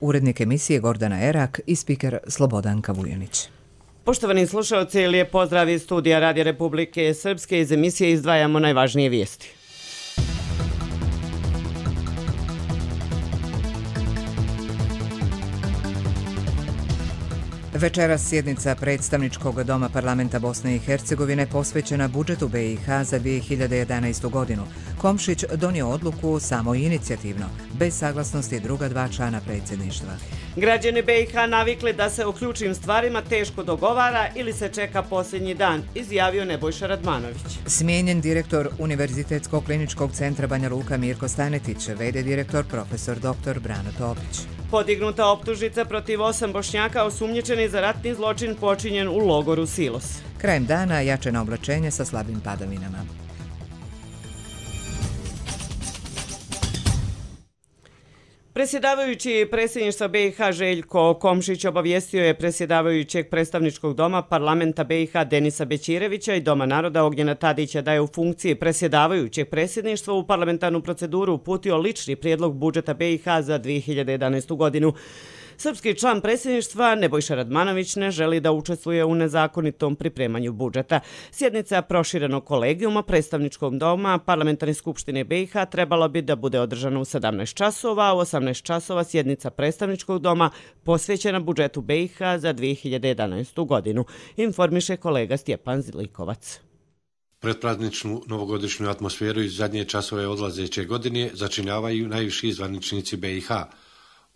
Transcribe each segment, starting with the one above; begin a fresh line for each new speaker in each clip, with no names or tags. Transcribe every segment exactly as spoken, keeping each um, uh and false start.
urednik emisije Gordana Erak i spiker Slobodanka Vujanić.
Poštovani slušalci, lijep pozdrav iz studija Radija Republike Srpske. Iz emisije izdvajamo najvažnije vijesti.
Večeras sjednica predstavničkog doma parlamenta Bosne i Hercegovine posvećena budžetu be i ha za dvije hiljade jedanaestu. godinu. Komšić donio odluku samo inicijativno, bez saglasnosti druga dva člana predsjedništva.
Građani be i ha navikli da se o ključnim stvarima teško dogovara ili se čeka posljednji dan, izjavio Nebojša Radmanović.
Smijenjen direktor Univerzitetskog kliničkog centra Banja Luka Mirko Stanetić, ve de direktor profesor doktor Brano Topić.
Podignuta optužnica protiv osam Bošnjaka osumnjičeni za ratni zločin počinjen u logoru Silos.
Krajem dana jačeno oblačenje sa slabim padavinama.
Predsjedavajući predsjedništva be i ha Željko Komšić obavijestio je predsjedavajućeg predstavničkog doma parlamenta be i ha Denisa Bećirevića i Doma naroda Ognjena Tadića da je u funkciji predsjedavajućeg predsjedništva u parlamentarnu proceduru uputio lični prijedlog budžeta be i ha za dvije hiljade jedanaestu. godinu. Srpski član predsjedništva Nebojša Radmanović ne želi da učestvuje u nezakonitom pripremanju budžeta. Sjednica proširenog kolegijuma predstavničkog doma Parlamentarne skupštine be i ha trebala bi da bude održana u sedamnaest časova, a u osamnaest časova sjednica predstavničkog doma posvećena budžetu be i ha za dvije hiljade jedanaestu. godinu, informiše kolega Stjepan Zlikovac.
Predprazničnu novogodišnju atmosferu iz zadnje časove odlazeće godine začinjavaju najviši zvaničnici be i ha.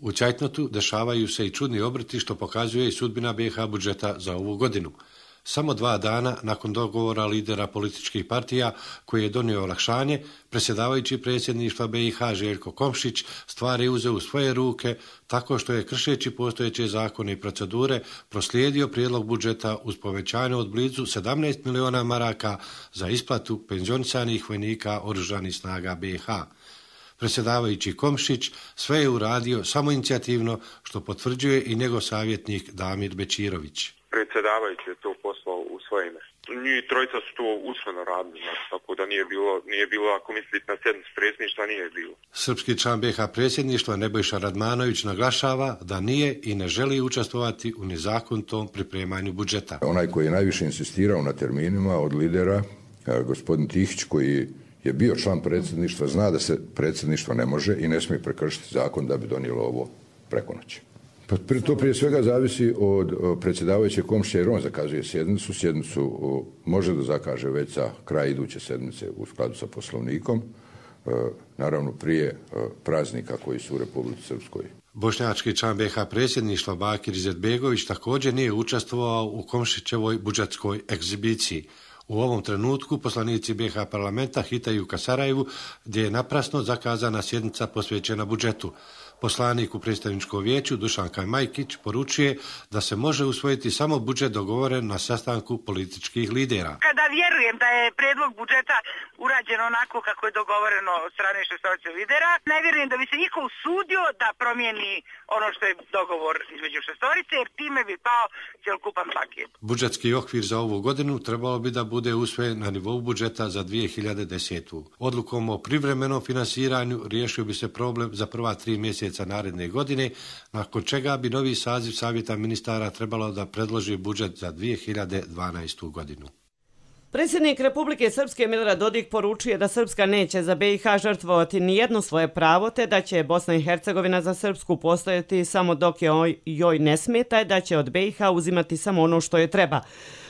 U Čajtnotu dešavaju se i čudni obrti što pokazuje i sudbina be i ha budžeta za ovu godinu. Samo dva dana nakon dogovora lidera političkih partija koji je donio olakšanje, predsjedavajući predsjedništva be i ha Željko Komšić stvari uzeo u svoje ruke tako što je kršeći postojeće zakone i procedure proslijedio prijedlog budžeta uz povećanje od blizu sedamnaest miliona maraka za isplatu penzionisanih vojnika oružanih snaga be i ha. Predsjedavajući Komšić sve je uradio samoinicijativno, što potvrđuje i njegov savjetnik Damir Bećirović.
Predsjedavajući je to poslao u svoje ime. Njih trojica su to usmeno radili, znači, tako da nije bilo, nije bilo, ako mislite na sjednicu predsjedništva, nije bilo.
Srpski član be i ha predsjedništva Nebojša Radmanović naglašava da nije i ne želi učestvovati u nezakonitom pripremanju budžeta.
Onaj koji je najviše insistirao na terminima od lidera, gospodin Tihić, koji je bio član predsjedništva, zna da se predsjedništvo ne može i ne smije prekršiti zakon da bi donijelo ovo preko noći. Pa to prije svega zavisi od predsjedavajućeg Komšića jer on zakazuje sjednicu. Sjednicu može da zakaže već za kraj iduće sedmice u skladu sa poslovnikom, naravno prije praznika koji su u Republici Srpskoj.
Bošnjački član be i ha predsjedništva Bakir Izetbegović također nije učestvovao u Komšićevoj budžetskoj egzibiciji. U ovom trenutku poslanici be i ha parlamenta hitaju ka Sarajevu, gdje je naprasno zakazana sjednica posvećena budžetu. Poslanik u predstavničkom vijeću Dušan Kajmajkić poručuje da se može usvojiti samo budžet dogovoren na sastanku političkih lidera.
Kada vjerujem da je prijedlog budžeta urađen onako kako je dogovoreno od strane šestorice lidera, ne vjerujem da bi se niko usudio da promijeni ono što je dogovor između šestorice, jer time bi pao cjelokupan paket.
Budžetski okvir za ovu godinu trebalo bi da bude usvojen na nivou budžeta za dvije hiljade desetu. Odlukom o privremenom finansiranju riješio bi se problem za prva tri mjeseca naredne godine, nakon čega bi novi saziv savjeta ministara trebalo da predloži budžet za dvije hiljade dvanaestu. godinu.
Predsjednik Republike Srpske Milorad Dodik poručuje da Srpska neće za be i ha žrtvovati nijedno svoje pravo, te da će Bosna i Hercegovina za Srpsku postojati samo dok je joj ne smeta i da će od be i ha uzimati samo ono što je treba.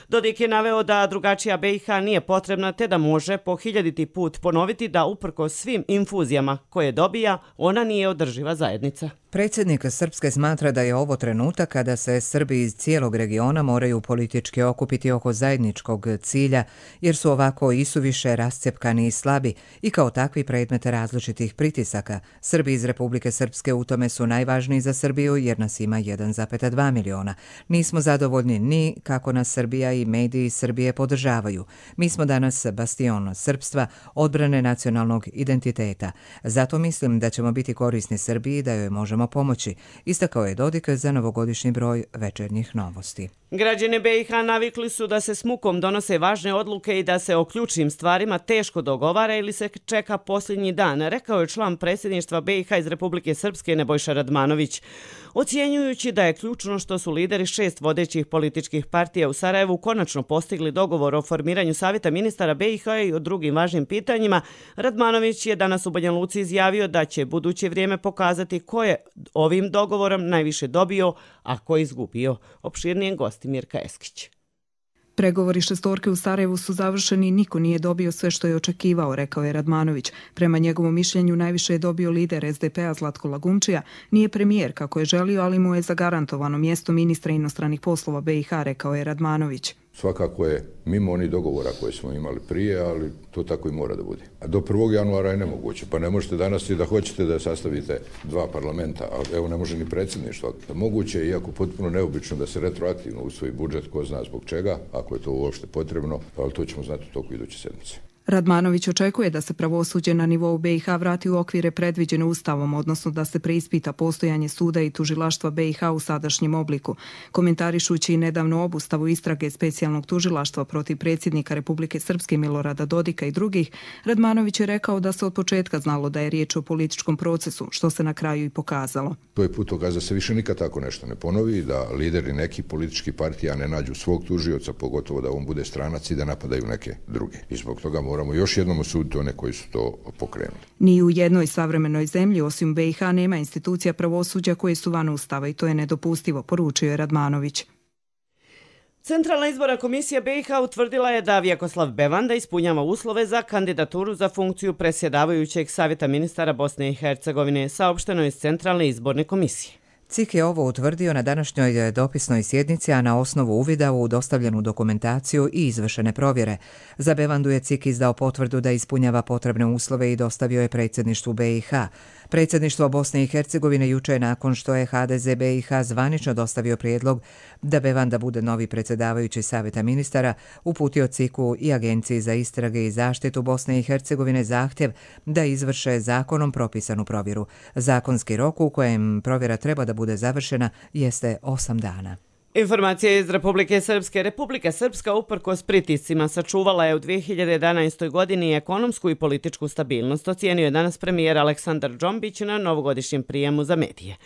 Dodik je naveo da drugačija be i ha nije potrebna, te da može po hiljaditi put ponoviti da uprkos svim infuzijama koje dobija, ona nije održiva zajednica.
Predsjednik Srpske smatra da je ovo trenutak kada se Srbi iz cijelog regiona moraju politički okupiti oko zajedničkog cilja, jer su ovako isuviše rascepkani i slabi i kao takvi predmet različitih pritisaka. Srbi iz Republike Srpske u tome su najvažniji za Srbiju jer nas ima jedan zarez dva miliona. Nismo zadovoljni ni kako nas Srbija i mediji Srbije podržavaju. Mi smo danas bastion srpstva, odbrane nacionalnog identiteta. Zato mislim da ćemo biti korisni Srbiji, da joj možemo možemo pomoći, istakao je Dodik za novogodišnji broj Večernjih novosti.
Građani be i ha navikli su da se s mukom donose važne odluke i da se o ključnim stvarima teško dogovara ili se čeka posljednji dan, rekao je član predsjedništva be i ha iz Republike Srpske Nebojša Radmanović. Ocjenjujući da je ključno što su lideri šest vodećih političkih partija u Sarajevu konačno postigli dogovor o formiranju Savjeta ministara be i ha i o drugim važnim pitanjima, Radmanović je danas u Banja Luci izjavio da će buduće vrijeme pokazati ko je ovim dogovorom najviše dobio, a ko izgubio. Opširnije gosti Mirka Eskić.
Pregovori šestorke u Sarajevu su završeni i niko nije dobio sve što je očekivao, rekao je Radmanović. Prema njegovom mišljenju najviše je dobio lider es de pe-a Zlatko Lagumčija. Nije premijer kako je želio, ali mu je zagarantovano mjesto ministra inostranih poslova be i ha, rekao je Radmanović.
Svakako je mimo onih dogovora koje smo imali prije, ali to tako i mora da bude. A do prvog januara je nemoguće, pa ne možete danas i da hoćete da sastavite dva parlamenta, ali evo ne može ni predsjedništvo. Moguće je, iako potpuno neobično, da se retroaktivno usvoji budžet, ko zna zbog čega, ako je to uopšte potrebno, ali to ćemo znati u toku iduće sedmice.
Radmanović očekuje da se pravosuđe na nivou be i ha vrati u okvire predviđene ustavom, odnosno da se preispita postojanje suda i tužilaštva be i ha u sadašnjem obliku. Komentarišući nedavno obustavu istrage specijalnog tužilaštva protiv predsjednika Republike Srpske Milorada Dodika i drugih, Radmanović je rekao da se od početka znalo da je riječ o političkom procesu, što se na kraju i pokazalo.
To je putokaz da se više nikad tako nešto ne ponovi, da lideri nekih političkih partija ne nađu svog tužioca, pogotovo da on bude stranac i da napadaju neke druge. I zbog toga moramo još jednom osuditi one koji su to pokrenuli.
Ni u jednoj savremenoj zemlji osim be i ha nema institucija pravosuđa koje su van ustava i to je nedopustivo, poručio je Radmanović.
Centralna izborna komisija be i ha utvrdila je da Vjekoslav Bevanda ispunjava uslove za kandidaturu za funkciju predsjedavajućeg Savjeta ministara Bosne i Hercegovine, saopšteno iz Centralne izborne komisije.
C I K je ovo utvrdio na današnjoj dopisnoj sjednici, a na osnovu uvida u dostavljenu dokumentaciju i izvršene provjere. Za Bevandu je C I K izdao potvrdu da ispunjava potrebne uslove i dostavio je predsjedništvu be i ha. Predsjedništvo Bosne i Hercegovine juče nakon što je ha de ze be i ha zvanično dostavio prijedlog da Bevanda bude novi predsjedavajući Savjeta ministara, uputio C I K-u i Agenciji za istrage i zaštitu Bosne i Hercegovine zahtjev da izvrše zakonom propisanu provjeru. Zakonski rok u kojem provjera treba da bude završena jeste osam dana.
Informacija iz Republike Srpske. Republika Srpska uprkos pritiscima sačuvala je u dvije hiljade jedanaestoj godini ekonomsku i političku stabilnost, ocijenio je danas premijer Aleksandar Džombić na novogodišnjem prijemu za medije.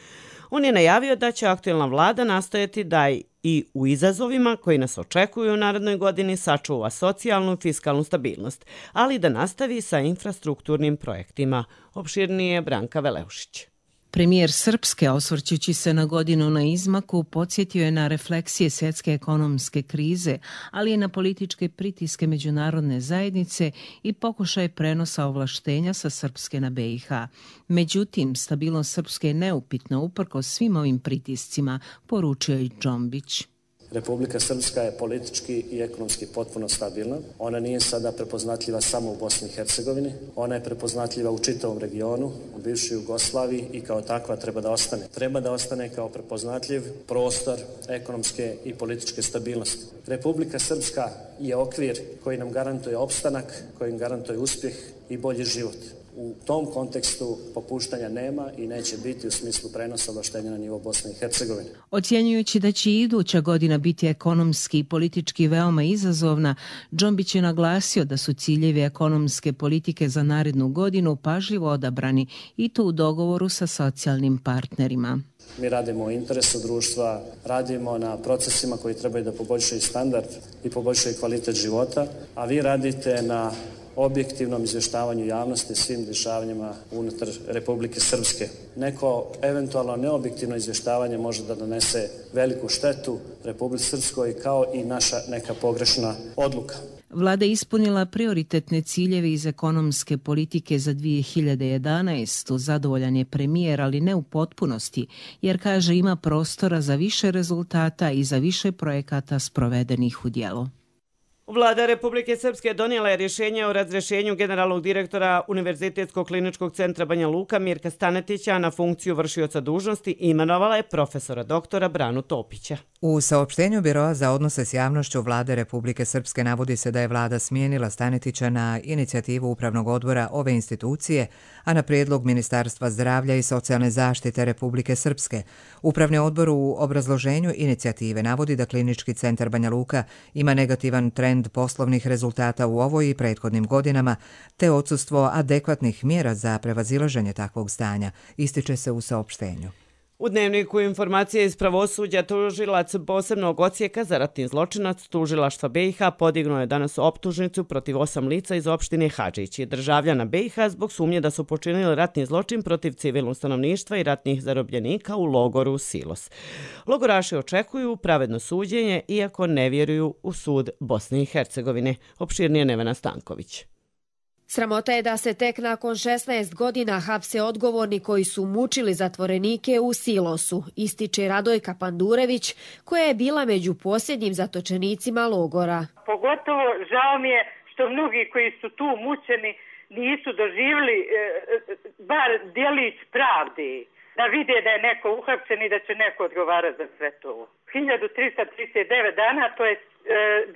On je najavio da će aktuelna vlada nastojati da i u izazovima koji nas očekuju u narednoj godini sačuva socijalnu i fiskalnu stabilnost, ali da nastavi sa infrastrukturnim projektima. Opširnije Branka Veleušić.
Premijer Srpske, osvrćući se na godinu na izmaku, podsjetio je na refleksije svjetske ekonomske krize, ali i na političke pritiske međunarodne zajednice i pokušaj prenosa ovlaštenja sa Srpske na be i ha. Međutim, stabilnost Srpske je neupitna uprkos svim ovim pritiscima, poručio je Džombić.
Republika Srpska je politički i ekonomski potpuno stabilna. Ona nije sada prepoznatljiva samo u Bosni i Hercegovini. Ona je prepoznatljiva u čitavom regionu, u bivšoj Jugoslaviji i kao takva treba da ostane. Treba da ostane kao prepoznatljiv prostor ekonomske i političke stabilnosti. Republika Srpska je okvir koji nam garantuje opstanak, koji nam garantuje uspjeh i bolji život. U tom kontekstu popuštanja nema i neće biti u smislu prenosa ovlaštenja na nivo Bosne i Hercegovine.
Ocjenjujući da će iduća godina biti ekonomski i politički veoma izazovna, Džombić je naglasio da su ciljevi ekonomske politike za narednu godinu pažljivo odabrani i to u dogovoru sa socijalnim partnerima.
Mi radimo u interesu društva, radimo na procesima koji trebaju da poboljšaju standard i poboljšaju kvalitet života, a vi radite na objektivnom izvještavanju javnosti svim dešavanjima unutar Republike Srpske. Neko eventualno neobjektivno izvještavanje može da donese veliku štetu Republike Srpskoj kao i naša neka pogrešna odluka.
Vlada je ispunila prioritetne ciljeve iz ekonomske politike za dvije hiljade jedanaestu. Zadovoljan je premijer, ali ne u potpunosti, jer kaže ima prostora za više rezultata i za više projekata sprovedenih u djelo.
Vlada Republike Srpske donijela je rješenje o razrješenju generalnog direktora Univerzitetskog kliničkog centra Banja Luka Mirka Stanetića na funkciju vršioca dužnosti i imenovala je profesora doktora Branu Topića.
U saopštenju Biroa za odnose s javnošću Vlade Republike Srpske navodi se da je vlada smijenila Stanetića na inicijativu Upravnog odbora ove institucije, a na prijedlog Ministarstva zdravlja i socijalne zaštite Republike Srpske. Upravni odbor u obrazloženju inicijative navodi da Klinički centar Banja Luka ima negativan trend poslovnih rezultata u ovoj i prethodnim godinama, te odsustvo adekvatnih mjera za prevazilaženje takvog stanja, ističe se u saopštenju.
U Dnevniku informacije iz pravosuđa tužilac posebnog odsjeka za ratni zločinac tužilaštva B i H podignuo je danas optužnicu protiv osam lica iz opštine Hadžići, državljana B i H, zbog sumnje da su počinili ratni zločin protiv civilnog stanovništva i ratnih zarobljenika u logoru Silos. Logoraši očekuju pravedno suđenje, iako ne vjeruju u sud Bosne i Hercegovine. Opširnije Nevena Stanković.
Sramota je da se tek nakon šesnaest godina hapse odgovorni koji su mučili zatvorenike u Silosu, ističe Radojka Pandurević, koja je bila među posljednjim zatočenicima logora.
Pogotovo žao mi je što mnogi koji su tu mučeni nisu doživjeli e, bar djelić pravde, da vide da je neko uhapšen i da će neko odgovarati za sve to. hiljadu trista trideset devet dana to je e,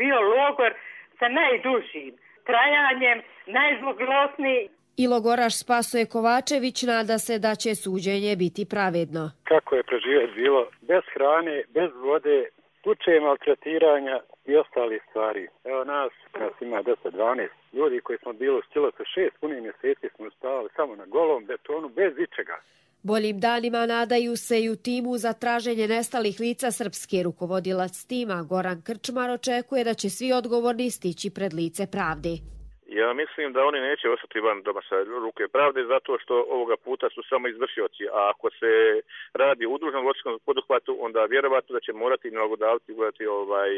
bio logor sa najdužim trajanjem, najzloglasniji.
I logoraš Spasoje Kovačević nada se da će suđenje biti pravedno.
Kako je preživjeti bilo bez hrane, bez vode, slučaje maltretiranja i ostalih stvari. Evo nas, nas ima deset dvanaest ljudi koji smo bili u Silosu šest punih mjeseci, smo stavili samo na golom betonu bez ičega.
Boljim danima nadaju se i u timu za traženje nestalih lica srpske. Rukovodilac tima Goran Krčmar očekuje da će svi odgovorni stići pred lice pravde.
Ja mislim da oni neće ostati van doma sa ruke pravde zato što ovoga puta su samo izvršioci, a ako se radi o udruženom zločinskom poduhvatu, onda vjerovatno da će morati nalogodavci ugledati ovaj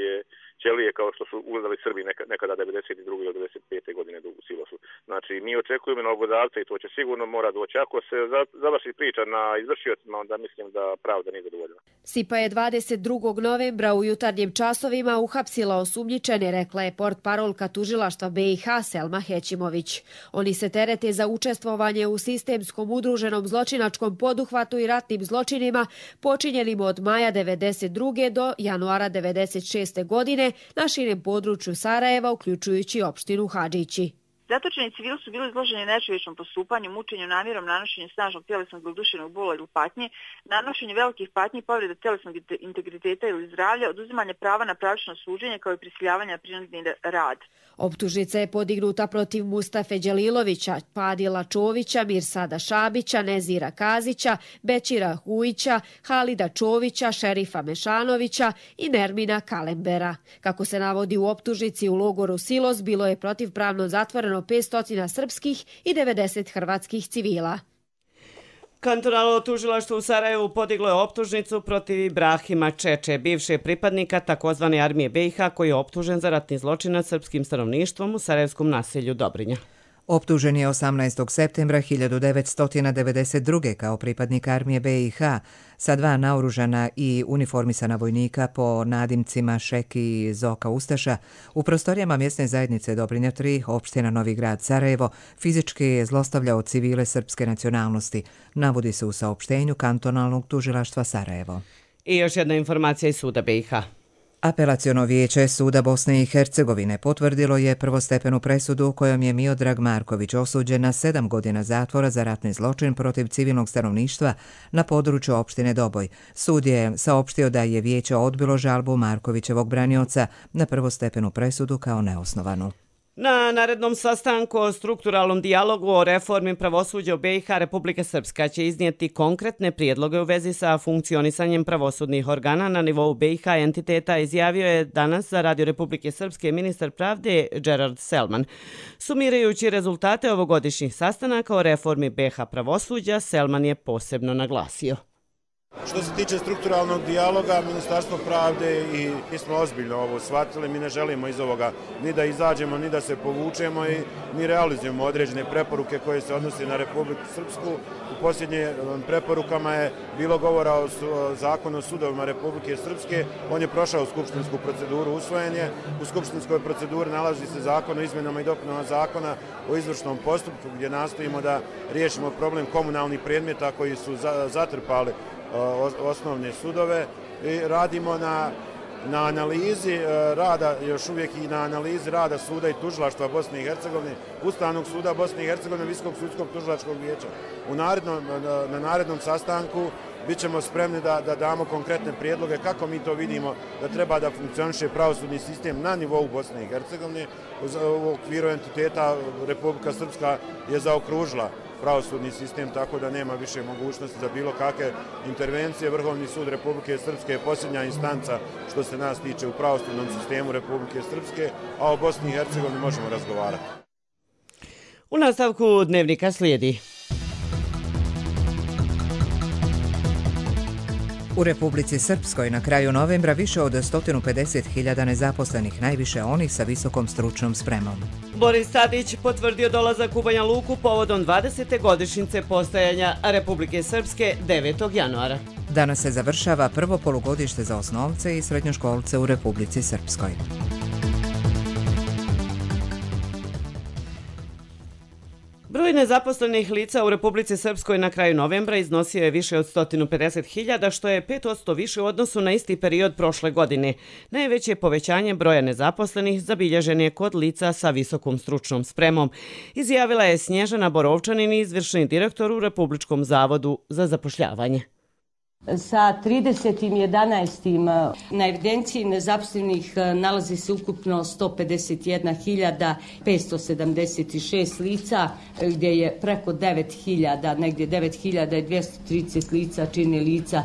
ćelije kao što su ugledali Srbi nekada devedeset druge do devedeset pete godine u Silosu. Znači, mi očekujemo nalogodavca i to će sigurno mora doći. Ako se završi priča na izvršiocima, onda mislim da pravda nije zadovoljena.
Sipa je dvadeset drugog novembra u jutarnjim časovima uhapsila osumnjičene, rekla je portparolka tužilaštva B i H Selma Hećimović. Oni se terete za učestvovanje u sistemskom udruženom zločinačkom poduhvatu i ratnim zločinima počinjenim od maja devedeset druge do januara devedeset šeste godine na širem području Sarajeva, uključujući opštinu Hadžići.
Zatočeni civili su bili izloženi nečovječnom postupanju, mučenju, namjerom, nanošenju snažnog tjelesnog ili duševnog bola ili patnje, nanošenju velikih patnji i povrede tjelesnog integriteta ili zdravlja, oduzimanje prava na pravično suđenje kao i prisiljavanje na prinudni rad.
Optužnica je podignuta protiv Mustafe Đelilovića, Padila Čovića, Mirsada Šabića, Nezira Kazića, Bećira Hujića, Halida Čovića, Šerifa Mešanovića i Nermina Kalembera. Kako se navodi u optužnici, u logoru Silos bilo je protivpravno zatvoreno petsto srpskih i devedeset hrvatskih civila.
Kantonalno tužilaštvo u Sarajevu podiglo je optužnicu protiv Ibrahima Čeče, bivše pripadnika takozvane armije B i H, koji je optužen za ratni zločin nad srpskim stanovništvom u sarajevskom naselju Dobrinja.
Optužen je osamnaestog septembra hiljadu devetsto devedeset druge kao pripadnik armije B i H sa dva naoružana i uniformisana vojnika po nadimcima Šeki i Zoka Ustaša u prostorijama mjesne zajednice Dobrinja tri, opština Novi Grad Sarajevo, fizički je zlostavljao civile srpske nacionalnosti, navodi se u saopštenju kantonalnog tužilaštva Sarajevo.
I još jedna informacija iz suda B i H.
Apelaciono vijeće Suda Bosne i Hercegovine potvrdilo je prvostepenu presudu kojom je Miodrag Marković osuđen na sedam godina zatvora za ratni zločin protiv civilnog stanovništva na području opštine Doboj. Sud je saopštio da je vijeće odbilo žalbu Markovićevog branioca na prvostepenu presudu kao neosnovanu.
Na narednom sastanku o strukturalnom dijalogu o reformi pravosuđa u B i H Republika Srpska će iznijeti konkretne prijedloge u vezi sa funkcionisanjem pravosudnih organa na nivou B i H entiteta, izjavio je danas za Radio Republike Srpske ministar pravde Gerard Selman. Sumirajući rezultate ovogodišnjih sastanaka o reformi B i H pravosuđa, Selman je posebno naglasio.
Što se tiče strukturalnog dijaloga, Ministarstvo pravde i mi smo ozbiljno ovo shvatili, mi ne želimo iz ovoga ni da izađemo, ni da se povučemo i mi realizujemo određene preporuke koje se odnose na Republiku Srpsku. U posljednjim preporukama je bilo govora o zakonu o sudovima Republike Srpske, on je prošao skupštinsku proceduru, usvojen je. U skupštinskoj proceduri nalazi se zakon o izmjenama i dopunama zakona o izvršnom postupku gdje nastojimo da riješimo problem komunalnih predmeta koji su zatrpali osnovne sudove i radimo na, na analizi rada, još uvijek i na analizi rada suda i tužilaštva Bosne i Hercegovine, Ustavnog suda Bosne i Hercegovine, Visokog sudskog tužilačkog vijeća. U narednom, na, na narednom sastanku bit ćemo spremni da, da damo konkretne prijedloge kako mi to vidimo da treba da funkcioniše pravosudni sistem na nivou Bosne i Hercegovine. U okviru entiteta Republika Srpska je zaokružila pravosudni sistem, tako da nema više mogućnosti za bilo kakve intervencije. Vrhovni sud Republike Srpske je posljednja instanca što se nas tiče u pravosudnom sistemu Republike Srpske, a o Bosni i Hercegovini možemo razgovarati.
U nastavku dnevnika slijedi.
U Republici Srpskoj na kraju novembra više od sto pedeset hiljada nezaposlenih, najviše onih sa visokom stručnom spremom.
Boris Tadić potvrdio dolazak u Banja Luku povodom dvadesete godišnjice postojanja Republike Srpske devetog januara.
Danas se završava prvo polugodište za osnovce i srednjoškolce u Republici Srpskoj.
Broj nezaposlenih lica u Republici Srpskoj na kraju novembra iznosio je više od sto pedeset hiljada, što je pet posto više u odnosu na isti period prošle godine. Najveće povećanje broja nezaposlenih zabilježen je kod lica sa visokom stručnom spremom, izjavila je Snježana Borovčanin, izvršni direktor u Republičkom zavodu za zapošljavanje.
Sa tridesetim jedanaestim na evidenciji nezaposlenih nalazi se ukupno sto pedeset jedna hiljada petsto sedamdeset šest lica, gdje je preko devet hiljada, negdje devet hiljada dvjesto trideset lica čini lica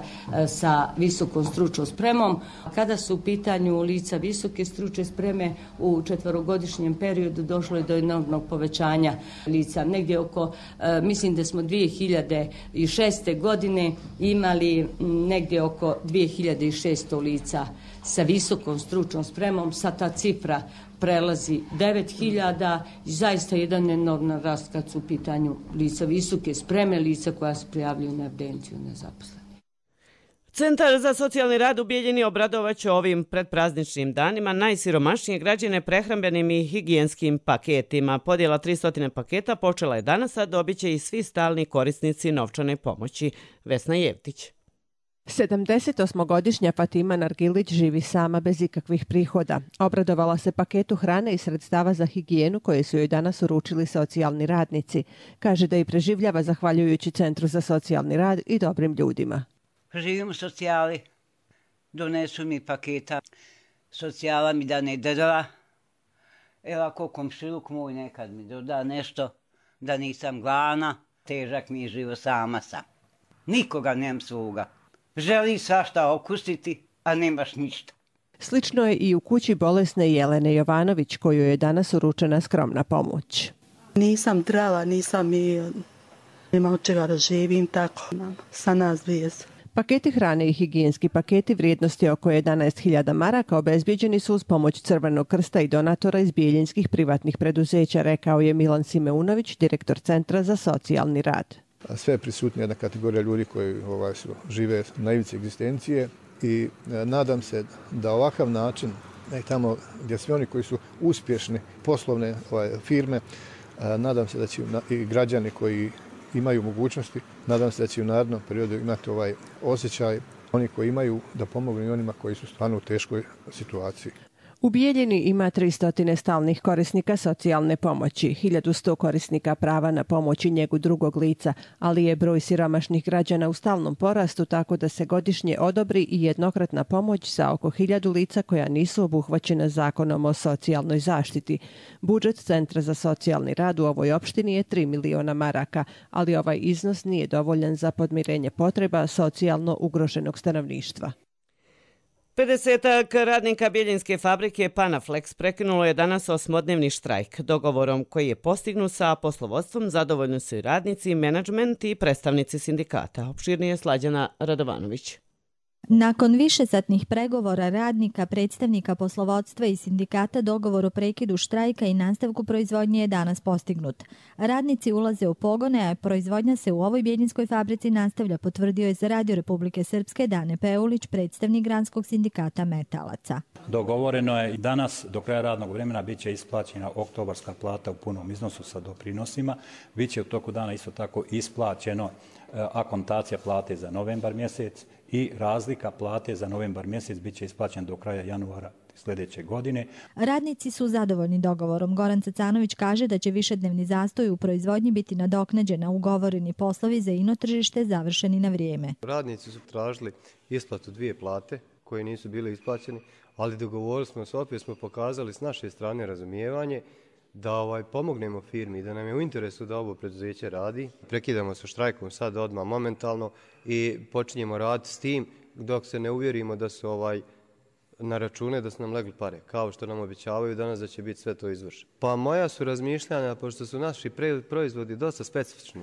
sa visokom stručnom spremom. Kada su u pitanju lica visoke stručne spreme, u četverogodišnjem periodu došlo je do enormnog povećanja lica. Negdje oko, mislim da smo dvije hiljade šeste. godine imali negdje oko dvije hiljade šesto lica sa visokom stručnom spremom. Sad ta cifra prelazi devet hiljada i zaista jedan enorman rast kad su u pitanju lica visoke spreme, lica koja se prijavljuju na evidenciju nezaposlenih.
Centar za socijalni rad u Bijeljini obradovaće ovim predprazničnim danima najsiromašnije građane prehrambenim i higijenskim paketima. Podjela tristo paketa počela je danas, a dobit će i svi stalni korisnici novčane pomoći. Vesna Jevtić.
sedamdesetosmogodišnja Fatima Nargilić živi sama bez ikakvih prihoda. Obradovala se paketu hrane i sredstava za higijenu koje su joj danas uručili socijalni radnici. Kaže da i preživljava zahvaljujući Centru za socijalni rad i dobrim ljudima.
Živim u socijali, donesu mi paketa, socijala mi da ne drva. Evo ako komšiluk moj nekad mi doda nešto, da nisam gladna, težak mi je živo sama sam. Nikoga nemam svoga. Želi svašta okusiti, a nemaš ništa.
Slično je i u kući bolesne Jelene Jovanović, koju je danas uručena skromna pomoć.
Nisam zdrava, nisam i nema od čega da živim tako, sa nas bez.
Paketi hrane i higijenski paketi vrijednosti oko jedanaest hiljada maraka obezbijeđeni su uz pomoć Crvenog krsta i donatora iz bijeljinskih privatnih preduzeća, rekao je Milan Simeunović, direktor Centra za socijalni rad.
Sve je prisutna jedna kategorija ljudi koji ovaj, su, žive na ivici egzistencije i e, nadam se da ovakav način, ne, tamo gdje svi oni koji su uspješni poslovne ovaj, firme, e, nadam se da će i građani koji imaju mogućnosti, nadam se da će u narednom periodu imati ovaj osjećaj oni koji imaju da pomognu i onima koji su stvarno u teškoj situaciji.
U Bijeljini ima tristo stalnih korisnika socijalne pomoći, hiljadu sto korisnika prava na pomoć i njegu drugog lica, ali je broj siromašnih građana u stalnom porastu, tako da se godišnje odobri i jednokratna pomoć za oko hiljadu lica koja nisu obuhvaćena zakonom o socijalnoj zaštiti. Budžet Centra za socijalni rad u ovoj opštini je tri miliona maraka, ali ovaj iznos nije dovoljan za podmirenje potreba socijalno ugroženog stanovništva.
pedesetak radnika bijeljinske fabrike Panaflex prekinulo je danas osmodnevni štrajk. Dogovorom koji je postignut sa poslovodstvom zadovoljni su i radnici, menadžment i predstavnici sindikata. Opširnije Slađana Radovanović.
Nakon višesatnih pregovora radnika, predstavnika poslovodstva i sindikata, dogovor o prekidu štrajka i nastavku proizvodnje je danas postignut. Radnici ulaze u pogone, a proizvodnja se u ovoj bijeljinskoj fabrici nastavlja, potvrdio je za Radio Republike Srpske Dane Peulić, predstavnik granskog sindikata metalaca.
Dogovoreno je i danas do kraja radnog vremena bit će isplaćena oktobarska plata u punom iznosu sa doprinosima. Biće u toku dana isto tako isplaćeno akontacija plate za novembar mjesec i razlika plate za novembar mjesec bit će isplaćen do kraja januara sljedeće godine.
Radnici su zadovoljni dogovorom. Goran Cacanović kaže da će višednevni zastoj u proizvodnji biti nadoknađen, a ugovoreni poslovi za ino tržište završeni na vrijeme.
Radnici su tražili isplatu dvije plate koje nisu bile isplaćene, ali dogovorili smo se, opet smo pokazali s naše strane razumijevanje da ovaj, pomognemo firmi, da nam je u interesu da ovo preduzeće radi. Prekidamo sa štrajkom sad odmah momentalno i počinjemo raditi s tim dok se ne uvjerimo da su ovaj, na račune da su nam legli pare, kao što nam obećavaju danas da će biti sve to izvršeno. Pa moja su razmišljanja, pošto su naši proizvodi dosta specifični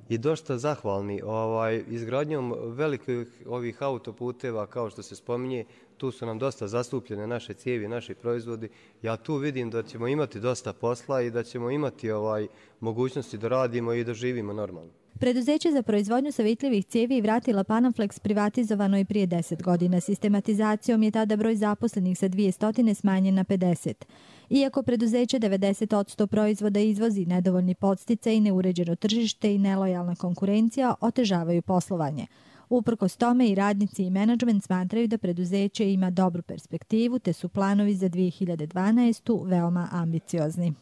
i dosta zahvalni ovaj, izgradnjom velikih ovih autoputeva, kao što se spominje, tu su nam dosta zastupljene naše cijevi, naši proizvodi. Ja tu vidim da ćemo imati dosta posla i da ćemo imati ovaj, mogućnosti da radimo i da živimo normalno.
Preduzeće za proizvodnju savitljivih cijevi vratila Panaflex privatizovano je prije deset godina. Sistematizacijom je tada broj zaposlenih sa dvjesto smanjen na pedeset. Iako preduzeće devedeset posto proizvoda izvozi, nedovoljni podsticaj i neuređeno tržište i nelojalna konkurencija otežavaju poslovanje. Uprkos tome i radnici i menadžment smatraju da preduzeće ima dobru perspektivu, te su planovi za dvije hiljade dvanaestu. veoma ambiciozni.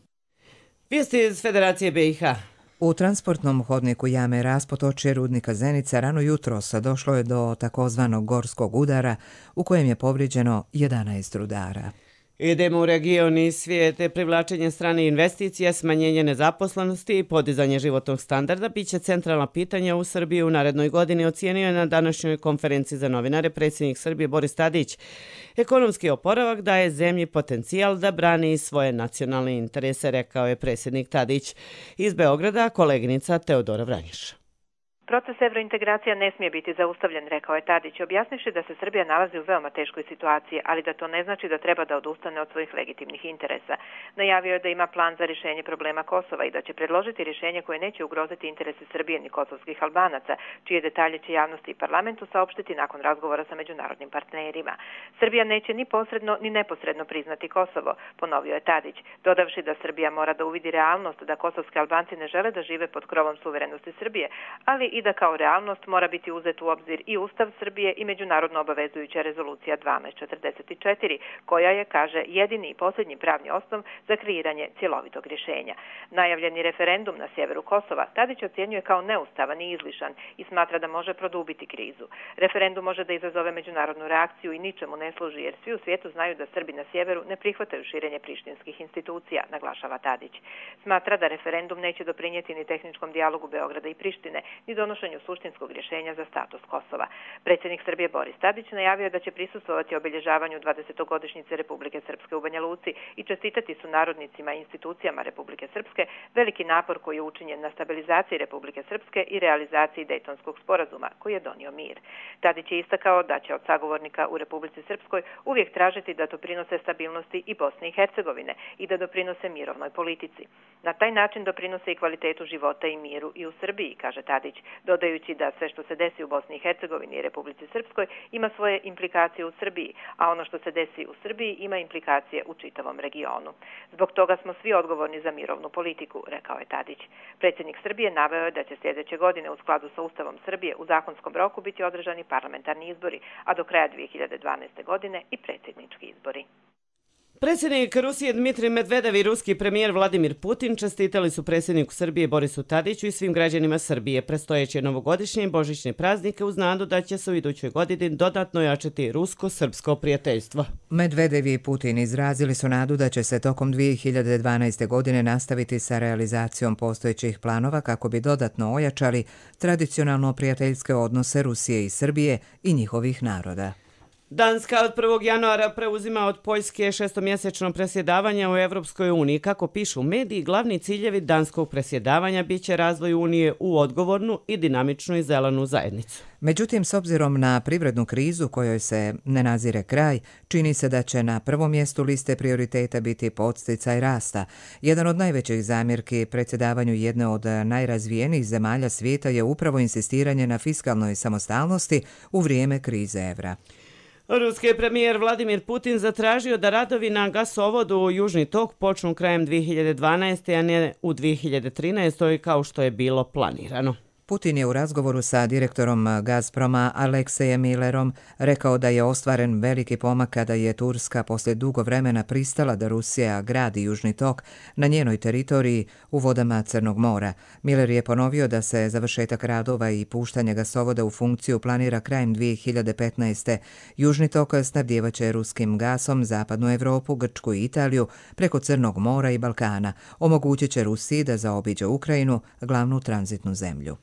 Vijesti iz Federacije B i H.
U transportnom hodniku jame Raspotočje rudnika Zenica rano jutros došlo je do takozvanog gorskog udara u kojem je povrijeđeno jedanaest rudara.
Idemo u region i svijet. Privlačenje strane investicija, smanjenje nezaposlenosti i podizanje životnog standarda biće centralna pitanja u Srbiji u narednoj godini, ocijenio je na današnjoj konferenciji za novinare predsjednik Srbije Boris Tadić. Ekonomski oporavak daje zemlji potencijal da brani svoje nacionalne interese, rekao je predsjednik Tadić. Iz Beograda koleginica Teodora Vranjiš.
Proces evrointegracija ne smije biti zaustavljen, rekao je Tadić, objasnivši da se Srbija nalazi u veoma teškoj situaciji, ali da to ne znači da treba da odustane od svojih legitimnih interesa. Najavio je da ima plan za rješenje problema Kosova i da će predložiti rješenje koje neće ugroziti interese Srbije ni kosovskih Albanaca, čije detalje će javnosti i parlamentu saopštiti nakon razgovora sa međunarodnim partnerima. Srbija neće ni posredno ni neposredno priznati Kosovo, ponovio je Tadić, dodavši da Srbija mora da uvidi realnost da kosovski Albanci ne žele da žive pod krovom suverenosti Srbije, ali i da kao realnost mora biti uzet u obzir i Ustav Srbije i međunarodno obavezujuća rezolucija dvanaest četrdeset četiri, koja je, kaže, jedini i posljednji pravni osnov za kreiranje cjelovitog rješenja. Najavljeni referendum na sjeveru Kosova Tadić ocjenjuje kao neustavan i izlišan i smatra da može produbiti krizu. Referendum može da izazove međunarodnu reakciju i ničemu ne služi, jer svi u svijetu znaju da Srbi na sjeveru ne prihvataju širenje prištinskih institucija, naglašava Tadić. Smatra da referendum neće doprinijeti ni tehničkom dijalogu Beograda i Prištine, ni donošenju suštinskog rješenja za status Kosova. Predsjednik Srbije Boris Tadić najavio da će prisustvovati obilježavanju dvadesetogodišnjice Republike Srpske u Banja Luci i čestitati su narodnicima i institucijama Republike Srpske veliki napor koji je učinjen na stabilizaciji Republike Srpske i realizaciji Dejtonskog sporazuma koji je donio mir. Tadić je istakao da će od sagovornika u Republici Srpskoj uvijek tražiti da doprinose stabilnosti i Bosne i Hercegovine i da doprinose mirovnoj politici. Na taj način doprinose i kvalitetu života i miru i u Srbiji, kaže Tadić, dodajući da sve što se desi u Bosni i Hercegovini i Republici Srpskoj ima svoje implikacije u Srbiji, a ono što se desi u Srbiji ima implikacije u čitavom regionu. Zbog toga smo svi odgovorni za mirovnu politiku, rekao je Tadić. Predsjednik Srbije naveo je da će sljedeće godine u skladu sa Ustavom Srbije u zakonskom roku biti održani parlamentarni izbori, a do kraja dvije hiljade dvanaeste. godine i predsjednički izbori.
Predsjednik Rusije Dmitrij Medvedev i ruski premijer Vladimir Putin čestitali su predsjedniku Srbije Borisu Tadiću i svim građanima Srbije predstojeće novogodišnje i božićne praznike uz nadu da će se u idućoj godini dodatno jačati rusko-srpsko prijateljstvo.
Medvedev i Putin izrazili su nadu da će se tokom dvije hiljade dvanaeste. godine nastaviti sa realizacijom postojećih planova kako bi dodatno ojačali tradicionalno prijateljske odnose Rusije i Srbije i njihovih naroda.
Danska od prvog januara preuzima od Poljske šestomjesečno presjedavanje u Evropskoj uniji. Kako pišu mediji, glavni ciljevi danskog presjedavanja biće razvoj Unije u odgovornu i dinamičnu i zelenu zajednicu.
Međutim, s obzirom na privrednu krizu kojoj se ne nazire kraj, čini se da će na prvom mjestu liste prioriteta biti podsticaj rasta. Jedan od najvećih zamjerki predsjedavanju jedne od najrazvijenijih zemalja svijeta je upravo insistiranje na fiskalnoj samostalnosti u vrijeme krize evra.
Ruski premijer Vladimir Putin zatražio da radovi na gasovodu Južni tok počnu krajem dvije hiljade dvanaeste. a ne u dvije hiljade trinaestoj. kao što je bilo planirano.
Putin je u razgovoru sa direktorom Gazproma Aleksejem Millerom rekao da je ostvaren veliki pomak kada je Turska poslije dugo vremena pristala da Rusija gradi Južni tok na njenoj teritoriji u vodama Crnog mora. Miller je ponovio da se završetak radova i puštanje gasovoda u funkciju planira krajem dvije hiljade petnaeste. Južni tok snabdjevaće ruskim gasom zapadnu Europu, Grčku i Italiju preko Crnog mora i Balkana. Omogućit će Rusiji da zaobiđe Ukrajinu, glavnu tranzitnu zemlju.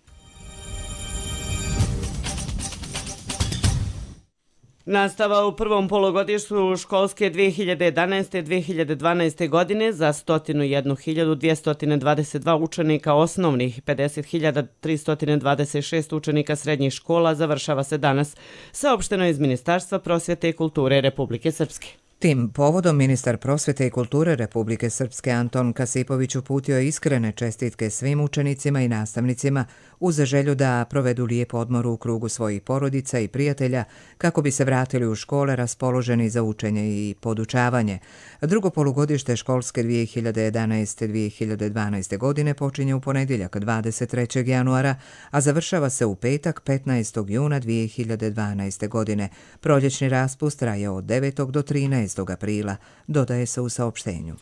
Nastava u prvom polugodištu školske dvije hiljade jedanaeste. dvije hiljade dvanaeste. godine za sto jedna hiljadu dvjesto dvadeset dva učenika osnovnih i pedeset hiljada tristo dvadeset šest učenika srednjih škola završava se danas, saopšteno iz Ministarstva prosvjete i kulture Republike Srpske.
Tim povodom ministar prosvjete i kulture Republike Srpske Anton Kasipović uputio je iskrene čestitke svim učenicima i nastavnicima uz želju da provedu lijep odmor u krugu svojih porodica i prijatelja kako bi se vratili u škole raspoloženi za učenje i podučavanje. Drugo polugodište školske dvije hiljade jedanaeste. dvije hiljade dvanaeste. godine počinje u ponedjeljak dvadeset trećeg januara, a završava se u petak petnaestog juna dvije hiljade dvanaeste. godine. Proljećni raspust traje od devetog do trinaestog aprila, dodaje se u saopštenju.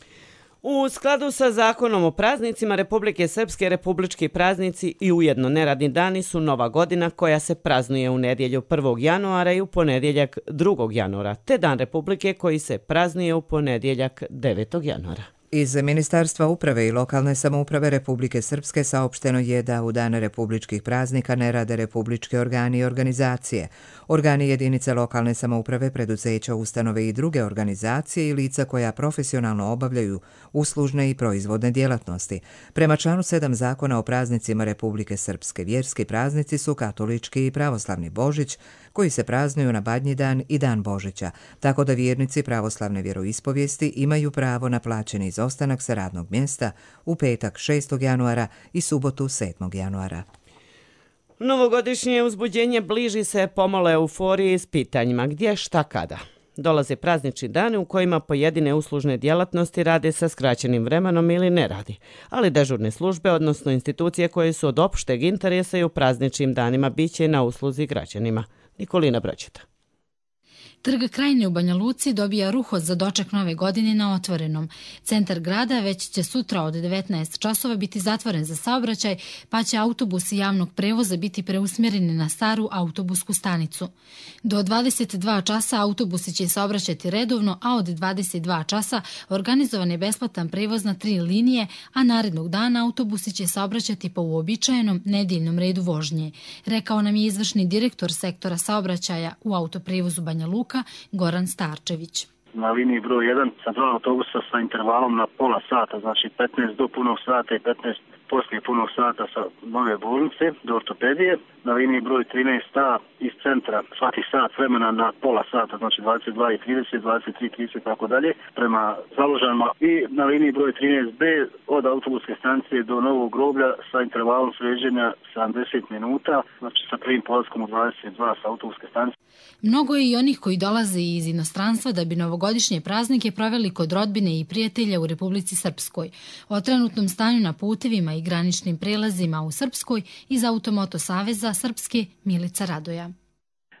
U skladu sa zakonom o praznicima Republike Srpske, republički praznici i ujedno neradni dani su Nova godina koja se praznuje u nedjelju prvog januara i u ponedjeljak drugog januara, te Dan Republike koji se praznuje u ponedjeljak devetog januara.
Iz Ministarstva uprave i lokalne samouprave Republike Srpske saopšteno je da u dane republičkih praznika ne rade republički organi i organizacije. Organi jedinice lokalne samouprave, preduzeća, ustanove i druge organizacije i lica koja profesionalno obavljaju uslužne i proizvodne djelatnosti. Prema članu sedam Zakona o praznicima Republike Srpske, vjerski praznici su katolički i pravoslavni Božić, koji se praznuju na Badnji dan i Dan Božića, tako da vjernici pravoslavne vjeroispovijesti imaju pravo na plaćeni izostanak sa radnog mjesta u petak šestog januara i subotu sedmog januara.
Novogodišnje uzbuđenje bliži se pomalo euforiji s pitanjima gdje, šta, kada. Dolaze praznični dani u kojima pojedine uslužne djelatnosti rade sa skraćenim vremenom ili ne radi, ali dežurne službe, odnosno institucije koje su od opšteg interesa i u prazničnim danima biće na usluzi građanima. Nikolina Braćeta.
Trg Krajine u Banja Luci dobija ruho za doček nove godine na otvorenom. Centar grada već će sutra od devetnaest časova biti zatvoren za saobraćaj, pa će autobusi javnog prevoza biti preusmjereni na staru autobusku stanicu. Do dvadeset dva časa autobusi će saobraćati redovno, a od dvadeset dva časa organizovan je besplatan prevoz na tri linije, a narednog dana autobusi će saobraćati po uobičajenom nedjeljnom redu vožnje, rekao nam je izvršni direktor sektora saobraćaja u autoprevozu Banja Luka, Goran Starčević.
Na liniji broj jedan sa dva autobusa sa intervalom na pola sata, znači petnaest do punog sata i petnaest poslije punog sata sa nove bolnice do ortopedije. Na liniji broj trinaest A iz centra svaki sat vremena na pola sata, znači dvadeset dva i trideset, dvadeset tri i trideset tako dalje, prema Založanima. I na liniji broj trinaest B od autobuske stanice do Novog groblja sa intervalom sređenja sedamdeset minuta, znači sa prvim polaskom u dvadeset dva sa autobuske stanice.
Mnogo je i onih koji dolaze iz inostranstva da bi novogodišnje praznike proveli kod rodbine i prijatelja u Republici Srpskoj. O trenutnom stanju na putevima i graničnim prelazima u Srpskoj iz Automoto saveza Srpske Milica Radoja.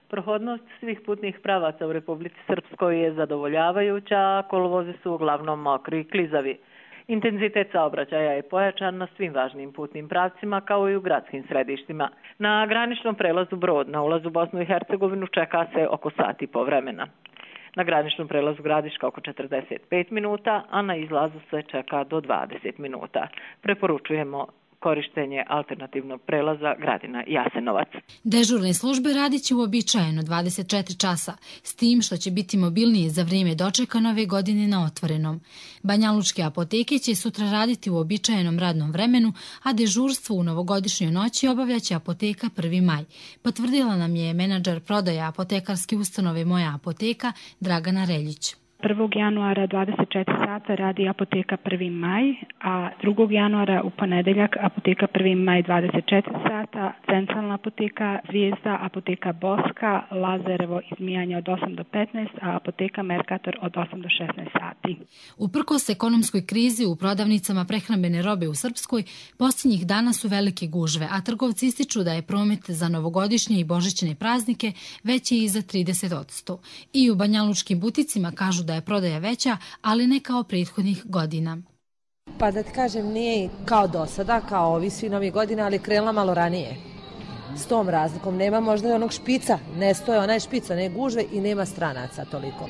Prohodnost svih putnih pravaca u Republici Srpskoj je zadovoljavajuća, a kolovozi su uglavnom mokri i klizavi. Intenzitet saobraćaja je pojačan na svim važnim putnim pravcima kao i u gradskim središtima. Na graničnom prelazu Brod na ulazu u Bosnu i Hercegovinu čeka se oko sat i po vremena. Na graničnom prelazu Gradiška oko četrdeset pet minuta, a na izlazu se čeka do dvadeset minuta. Preporučujemo korištenje alternativnog prelaza Gradina-Jasenovac.
Dežurne službe radit će uobičajeno dvadeset četiri časa, s tim što će biti mobilnije za vrijeme dočeka nove godine na otvorenom. Banjalučke apoteke će sutra raditi u uobičajenom radnom vremenu, a dežurstvo u novogodišnjoj noći obavljaće apoteka prvi maj. Potvrdila nam je menadžer prodaja apotekarske ustanove Moja apoteka Dragana Reljić.
prvog januara dvadeset četiri sata radi apoteka prvi maj, a drugog januara u ponedeljak apoteka prvi maj dvadeset četiri sata, centralna apoteka Zvijezda, apoteka Boska, Lazarevo izmijanje od osam do petnaest, a apoteka Merkator od osam do šesnaest sati.
Uprkos ekonomskoj krizi u prodavnicama prehrambene robe u Srpskoj, posljednjih dana su velike gužve, a trgovci ističu da je promet za novogodišnje i božićne praznike veći i za trideset posto. I u banjalučkim buticima kažu da je prodaja veća, ali ne kao prethodnih godina.
Pa da ti kažem, nije kao do sada, kao ovi svi novi godina, ali krenula malo ranije. S tom razlikom nema možda i onog špica, ne stoje onaj špica, ne gužve i nema stranaca toliko.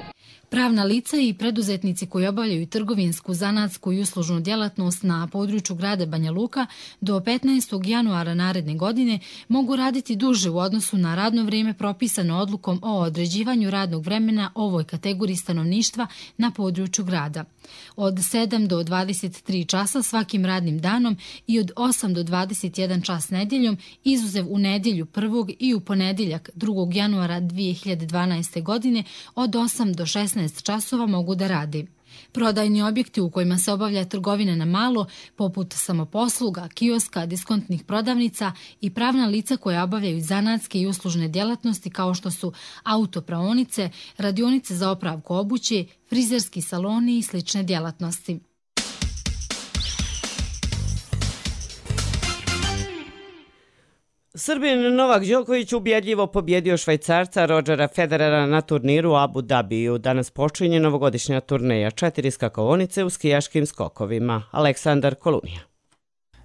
Pravna lica i preduzetnici koji obavljaju trgovinsku, zanatsku i uslužnu djelatnost na području grada Banja Luka do petnaestog januara naredne godine mogu raditi duže u odnosu na radno vrijeme propisano odlukom o određivanju radnog vremena ovoj kategoriji stanovništva na području grada. Od sedam do dvadeset tri časa svakim radnim danom i od osam do dvadeset jedan čas nedjeljom, izuzev u nedjelju prvog i u ponedjeljak drugog januara dvije hiljade dvanaeste. godine od osam do šesnaest časova mogu da radi. Prodajni objekti u kojima se obavlja trgovina na malo, poput samoposluga, kioska, diskontnih prodavnica i pravna lica koja obavljaju zanatske i uslužne djelatnosti kao što su autopraonice, radionice za opravku obuće, frizerski saloni i slične djelatnosti.
Srbin Novak Đoković ubjedljivo pobjedio Švajcarca Rodgera Federera na turniru u Abu Dhabiju. Danas počinje novogodišnja turneja, četiri skakaonice u skijaškim skokovima. Aleksandar Kolunija.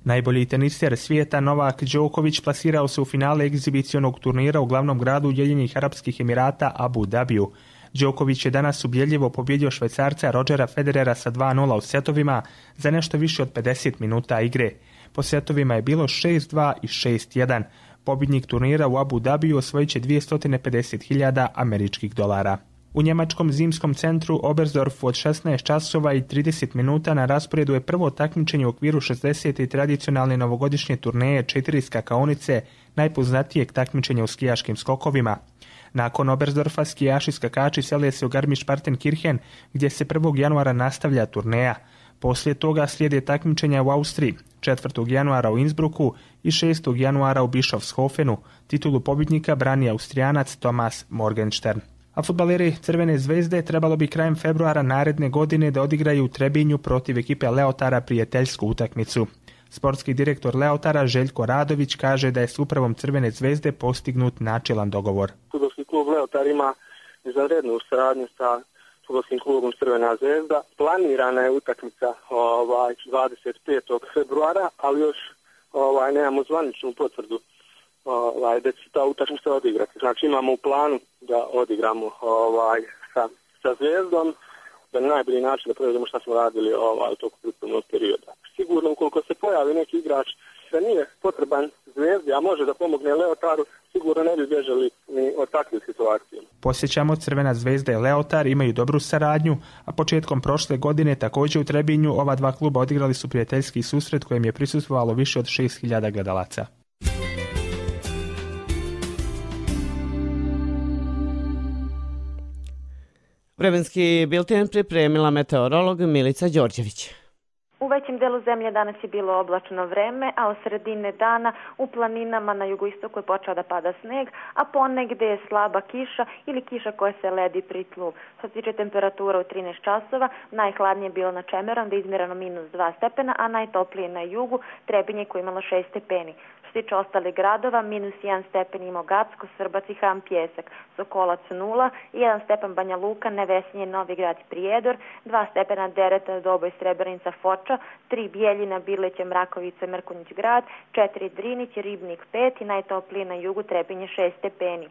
Najbolji teniser svijeta Novak Đoković plasirao se u finale egzibicionog turnira u glavnom gradu Ujedinjenih Arapskih Emirata Abu Dhabiju. Đoković je danas ubjedljivo pobjedio Švajcarca Rodgera Federera sa dva nula u setovima za nešto više od pedeset minuta igre. Po setovima je bilo šest dva i šest jedan. Pobjednik turnira u Abu Dhabiju osvojit će dvjesto pedeset hiljada američkih dolara. U njemačkom zimskom centru Oberstdorfu od šesnaest časova i trideset minuta na rasporedu je prvo takmičenje u okviru šezdesete tradicionalne novogodišnje turneje četiri skakaonice, najpoznatijeg takmičenja u skijaškim skokovima. Nakon Oberstdorfa skijaši skakači sele se u Garmisch-Partenkirchen, gdje se prvog januara nastavlja turneja. Poslije toga slijede takmičenja u Austriji, četvrtog januara u Innsbrucku i šestog januara u Bischofshofenu. Titulu pobjednika brani Austrijanac Thomas Morgenstern. A fudbaleri Crvene zvezde trebalo bi krajem februara naredne godine da odigraju u Trebinju protiv ekipe Leotara prijateljsku utakmicu. Sportski direktor Leotara Željko Radović kaže da je s upravom Crvene zvezde postignut načilan dogovor.
Fudbalski klub Leotar ima izvanrednu saradnju sa fudbalskim klubom Crvena zvezda. Planirana je utakmica ovaj, dvadeset petog februara, ali još ovaj, nemamo zvaničnu potvrdu ovaj, da će ta utakmica odigrati. Znači imamo u planu da odigramo ovaj, sa, sa Zvezdom, da na najbolji način da provedemo što smo radili ovaj, u toku pripremnog perioda. Sigurno ukoliko se pojavi neki igrač da nije potreban Zvezdi, a može da pomogne Leotaru, sigurno ne bi bježali ni od takvih situacija.
Posjećamo, Crvena zvezda i Leotar imaju dobru saradnju, a početkom prošle godine također u Trebinju ova dva kluba odigrali su prijateljski susret kojem je prisustvovalo više od šest hiljada gledalaca.
Vremenski bilten pripremila meteorolog Milica Đorđević.
U većem delu zemlje danas je bilo oblačno vreme, a od sredine dana u planinama na jugoistoku je počeo da pada sneg, a ponegde je slaba kiša ili kiša koja se ledi pri tlu. Što se tiče temperatura u trinaest časova, najhladnije je bilo na Čemerom, da je izmjereno minus dva stepena, a najtoplije na jugu Trebinje koje je imalo šest stepeni. Što se tiče ostalih gradova, minus jedan stepen imao Gacko, Srbac i Ham Pjesak, Sokolac nula, jedan stepen Banja Luka, Nevesinje, Novi Grad i Prijedor, dva stepena Dereta, Doboj, Srebrenica, Foča, tri Bijeljina, Birleće, Mrakovica, Mrkonjić Grad, četiri Drinić, Ribnik pet i najtoplije na jugu Trebinje šest stepeni.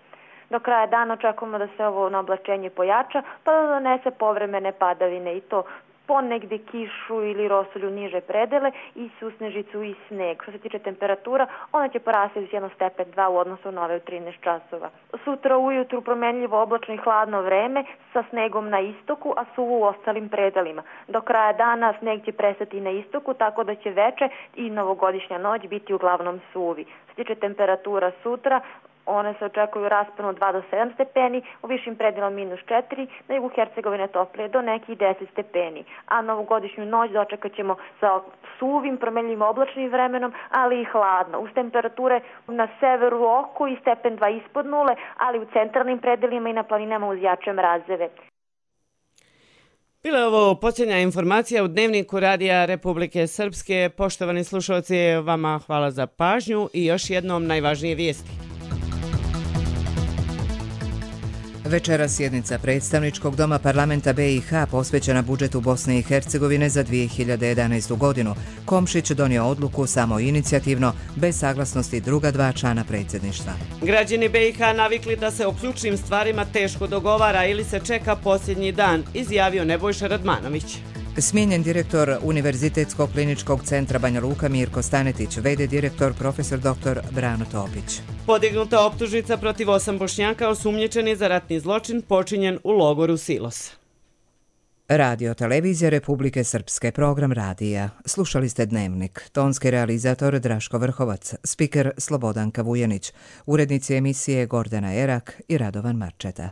Do kraja dana očekujemo da se ovo oblačenje pojača, pa da donese povremene padavine i to
ponegde kišu ili rosulju niže predele i susnežicu i sneg. Što se tiče temperatura, ona će porasti uz jedan stepen dva u odnosu na ove u trinaest časova. Sutra ujutru promenljivo oblačno i hladno vreme sa snegom na istoku, a suvo u ostalim predelima. Do kraja dana sneg će prestati na istoku, tako da će veče i novogodišnja noć biti uglavnom suvi. Što se tiče temperatura sutra, one se očekuju rasponu dva do sedam stepeni, u višim predelom minus četiri, na jugu Hercegovine toplije do nekih deset stepeni. A novogodišnju noć dočekat ćemo sa suvim, promenljivim oblačnim vremenom, ali i hladno. Uz temperature na severu oko i stepen dva ispod nule, ali u centralnim predelima i na planinama uz jače mrazeve.
Bila je ovo posljednja informacija u Dnevniku Radija Republike Srpske. Poštovani slušalci, vama hvala za pažnju i još jednom najvažnije vijesti.
Večera sjednica predstavničkog doma parlamenta B i H posvećena budžetu Bosne i Hercegovine za dvije hiljade jedanaestu godinu. Komšić donio odluku samo inicijativno, bez saglasnosti druga dva člana predsjedništva.
Građani B i H navikli da se o ključnim stvarima teško dogovara ili se čeka posljednji dan, izjavio Nebojša Radmanović.
Smijenjen direktor Univerzitetskog kliničkog centra Banja Luka Mirko Stanetić, v d direktor profesor doktor Brano Topić.
Podignuta optužnica protiv osam Bošnjaka osumnjičeni za ratni zločin počinjen u logoru Silos.
Radio Televizija Republike Srpske, program radija. Slušali ste Dnevnik. Tonski realizator Draško Vrhovac, spiker Slobodanka Vujanić, urednici emisije Gordana Erak i Radovan Marčeta.